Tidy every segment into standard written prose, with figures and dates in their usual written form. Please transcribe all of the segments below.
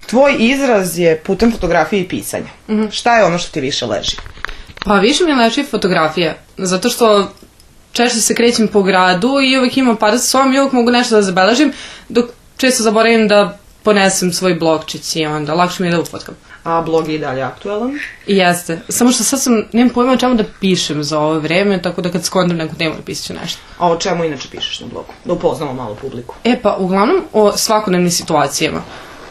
Tvoj izraz je putem fotografije i pisanja. Šta je ono što ti više leži? Pa više mi leži fotografija, zato što češće se krećem po gradu i uvek imam aparat sa sobom i uvek mogu nešto da zabeležim, dok često zaboravim da ponesem svoj blogčić i onda lakše mi je da ufotkam. A blog je i dalje aktualan? Jeste, samo što sad nemam pojma o čemu da pišem za ovo vreme, tako da kad skontam neku temu napisat ću nešto. A o čemu inače pišeš na blogu? Da upoznamo malo publiku. Pa uglavnom o svakodnevnim situacijama.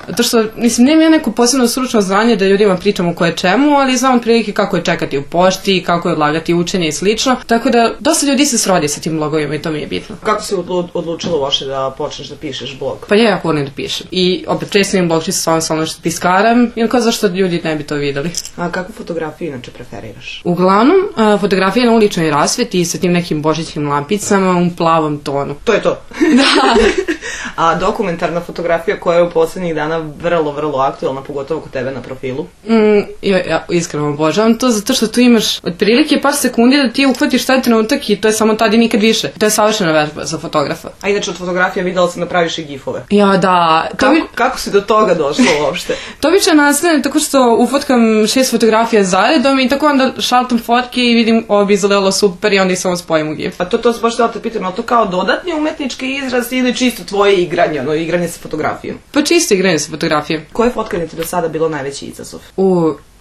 Zato što, nemam ja neko posebno stručno znanje da ljudima pričam o koje čemu, ali znam otprilike kako je čekati u pošti, kako je odlagati učenje i slično. Tako da, dosta ljudi se srodi sa tim blogovima i to mi je bitno. Kako si odlučila uopšte da počneš da pišeš blog? Pa ja jako volim da pišem. I opet često imam blogčić sa ono što tiskaram, i kao zašto ljudi ne bi to videli. A kakvu fotografiju inače preferiraš? Uglavnom, fotografija na uličnoj rasveti sa tim nekim božićnim lampicama u plavom tonu. To je to? Da. A dokumentarna fotografija koja je u poslednjih dana vrlo aktualna, pogotovo kod tebe na profilu? Ja iskreno obožavam to, zato što tu imaš otprilike par sekundi da ti uhvatiš taj trenutak i to je samo tad i nikad više. To je savršena vežba za fotografa. A inače od fotografija videla sam da praviš i gifove. Ja, da. Kako si do toga došla uopšte? To obično nastane tako što ufotkam 6 fotografija zaredom i tako onda šaltam fotke i vidim ovo bi izgledalo super i onda ih samo spojim u gif. A to se baš da te pitam, ali to kao dodatni umetnički izraz ili čisto tvoje igranje, igranje sa fotografijom? Pa čisto igranje sa fotografijom. Koje fotkanje ti do sada bilo najveći izazov?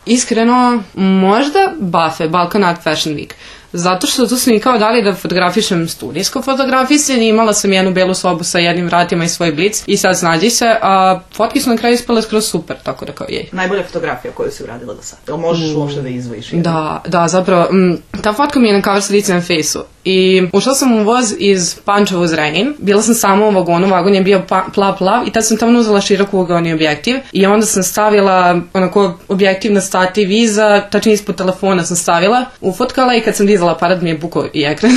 Iskreno, možda BAFE, Balkan Art Fashion Week. Zato što tu su mi kao dali da fotografišem studijsko fotografisanje, imala sam jednu belu sobu sa jednim vratima i svoj blic i sad snađi se, a fotke su na kraju ispale skroz super, tako da kao jej. Najbolja fotografija koju si uradila do sada? Jel možeš uopšte da izvojiš jednu? Da, zapravo, ta fotka mi je na cover slici na fejsu i ušla sam u voz iz Pančeva uz Zrenjanin, bila sam sama u vagonu, vagon je bio plav i tad sam tamo uzela široko ugoni objektiv i onda sam stavila onako objektiv na stativ iza, tačnije ispod telefona sam stavila, ufotkala i kad sam dizala aparat mi je bukao i ekran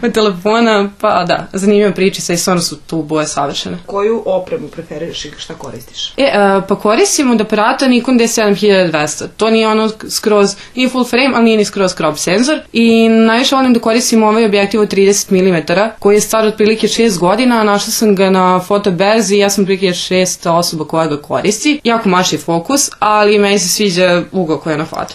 od telefona, pa da, zanimljiva pričica i stvarno su tu boje savršene. Koju opremu preferiraš i šta koristiš? Pa koristim od aparata Nikon D7200, to nije ono skroz, nije full frame, ali nije ni skroz crop senzor i najviše volim da koristim ovaj objektiv od 30 mm koji je star otprilike 6 godina, našla sam ga na fotoberzi i ja sam otprilike 6 osoba koja ga koristi, jako maši fokus, ali meni se sviđa ugao koja je na foto.